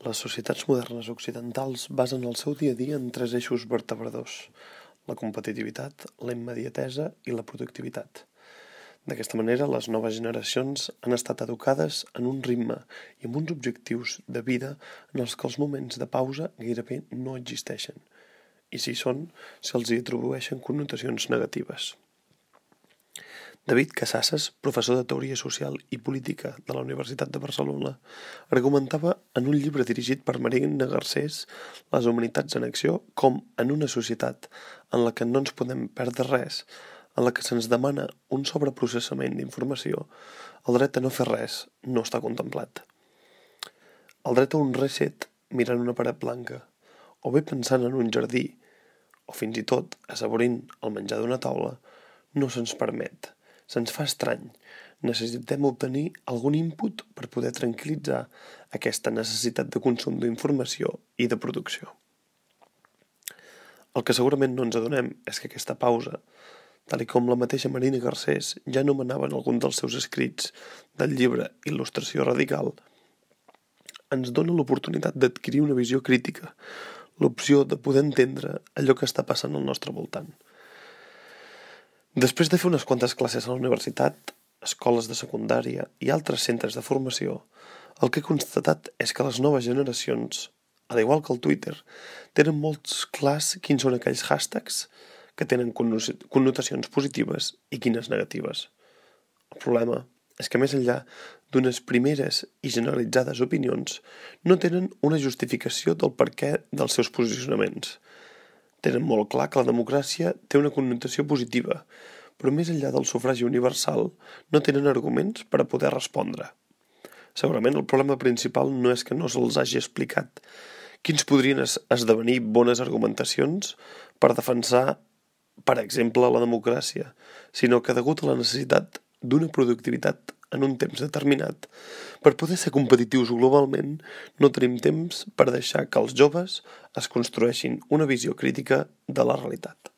Les societats modernes occidentals basen el seu dia a dia en tres eixos vertebradors: la competitivitat, la immediatesa i la productivitat. D'aquesta manera, les noves generacions han estat educades en un ritme i amb uns objectius de vida en els que els moments de pausa gairebé no existeixen, i si hi són, se'ls hi atribueixen connotacions negatives. David Casasses, professor de Teoria Social i Política de la Universitat de Barcelona, argumentava en un llibre dirigit per Marina Garcés, Les humanitats en acció, com en una societat en la que no ens podem perdre res, en la que se'ns demana un sobreprocessament d'informació, el dret a no fer res no està contemplat. El dret a un reset mirant una paret blanca, o bé pensant en un jardí, o fins i tot assaborint el menjar d'una taula, no se'ns permet. Se'ns fa estrany. Necessitem obtenir algun input per poder tranquil·litzar aquesta necessitat de consum d'informació i de producció. El que segurament no ens adonem és que aquesta pausa, tal com la mateixa Marina Garcés ja anomenava en algun dels seus escrits del llibre Il·lustració radical, ens dona l'oportunitat d'adquirir una visió crítica, l'opció de poder entendre allò que està passant al nostre voltant. Després de fer unes quantes classes a la universitat, escoles de secundària i altres centres de formació, el que he constatat és que les noves generacions, al igual que el Twitter, tenen molts clars quins són aquells hashtags que tenen connotacions positives i quines negatives. El problema és que més enllà d'unes primeres i generalitzades opinions, no tenen una justificació del perquè dels seus posicionaments. Tenen molt clar que la democràcia té una connotació positiva, però més enllà del sufragi universal no tenen arguments per a poder respondre. Segurament el problema principal no és que no se'ls hagi explicat quins podrien esdevenir bones argumentacions per defensar, per exemple, la democràcia, sinó que degut a la necessitat d'una productivitat en un temps determinat, per poder ser competitius globalment, no tenim temps per deixar que els joves es construeixin una visió crítica de la realitat.